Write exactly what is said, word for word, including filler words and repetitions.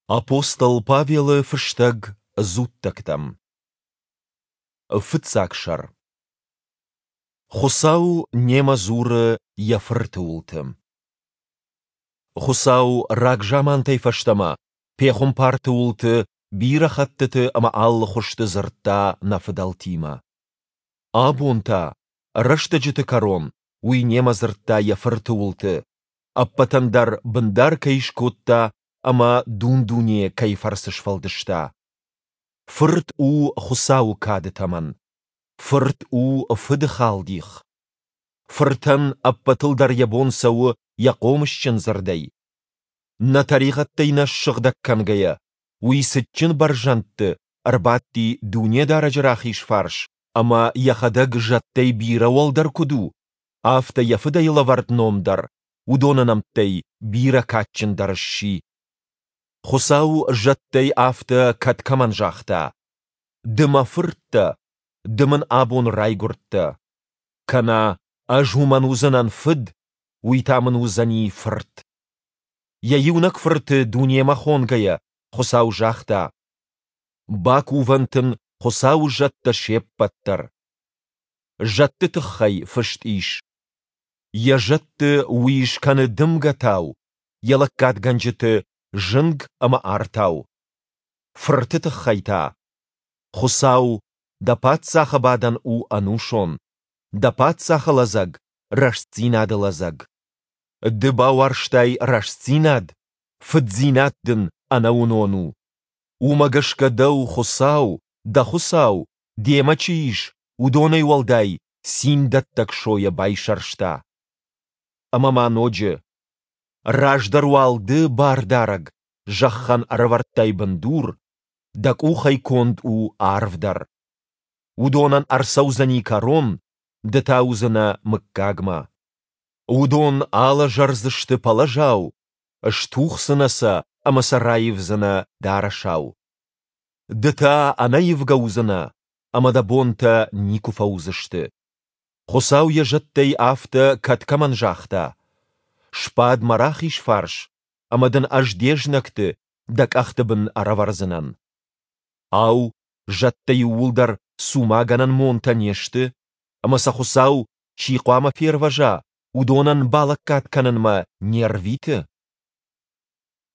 Апостол Павелы фыстӕг дзуттӕгтӕм. Фыццаг сӕр. Хуыцау немӕ дзуры йӕ Фырты уылты. Хуыцау рагзамантӕй фӕстӕмӕ пехуымпарты уылты бирӕ хӕттыты ӕмӕ алы хуызты дзырдта нӕ фыдӕлтимӕ. Абон та, рӕстӕджыты кӕрон, уый немӕ дзырдта йӕ Фырты уылты, ӕппӕтӕн дӕр бындар кӕй скодта ӕмӕ дун-дуне кӕй фӕрцы сфӕлдыста. Фырт у Хуыцауы кады тӕмӕн. Фырт у Фыды халдих. Фыртӕн ӕппӕтыл дӕр йӕ бон цӕуы йӕ хъомысджын дзырдӕй. Нӕ тӕригъӕдтӕй нӕ ссыгъдӕг кӕнгӕйӕ, уый цытджын бӕрзӕндты ӕрбадти Дунедарӕджы рахиз фарс ӕмӕ йӕхӕдӕг зӕдтӕй бирӕ уӕлдӕр куыд у, афтӕ йӕ Фыдӕй лӕвӕрд ном дӕр уыдоны нӕмттӕй бирӕ кадджындӕр сси. Хуыцау зӕдтӕй афтӕ кӕд кӕмӕн загъта: Ды мӕ фырт дӕ, ды мын абон райгуырдтӕ. Кӕнӕ Ӕз уымӕн уыдзынӕн фыд, уый та мын уыдзӕни фырт. Йӕ иунӕг фырты дунемӕ хонгӕйӕ, Хуыцау загъта: Бакувӕнт ын Хуыцауы зӕдтӕ се ппӕт дӕр. Зӕдты тыххӕй фыст ис: Йӕ зӕдты уый скӕны дымгӕтау, йӕ лӕггадгӕнджыты зынг ӕмӕ артау. Фырты тыххӕй та: Хуыцау, дӕ паддзахы бадӕн у ӕнусон, дӕ паддзахы лӕдзӕг рӕстдзинады лӕдзӕг. Ды бауарзтай рӕстдзинад, фыддзинад дын ӕнӕуынон у. Уымӕ гӕсгӕ дӕу Хуыцау, дӕ Хуыцау, демӕ чи ис, уыдонӕй уӕлдай циндӕттӕг сойӕ байсӕрста. Ӕмӕ ма ноджы: Раздӕр уал ды, Бардарӕг, зӕххӕн ӕрӕвӕрдтай бындур, дӕ къухӕй конд у арв дӕр. Уыдонӕн ӕрцӕудзӕни кӕрон, ды та уыдзынӕ мыггагмӕ. Уыдон алӕзӕрдзысты пӕлӕзау, стухдзынӕ сӕ ӕмӕ сӕ раивдзынӕ дарӕсау. Ды та ӕнӕивгӕ уыдзынӕ, ӕмӕ дӕ бонтӕ никуы фӕуыдзысты. Хуыцау йӕ зӕдтӕй афтӕ кӕд кӕмӕн загъта: Сбад мӕ рахиз фарс, ӕмӕ дын ӕз де знӕгты дӕ къӕхты бын ӕрӕвӕрдзынӕн. Ау, зӕдтӕ иууылдӕр цумагӕнӕн монтӕ не сты, ӕмӕ сӕ Хуыцау, чи хъуамӕ фервӕза, уыдонӕн балӕггад кӕнынмӕ не рвиты?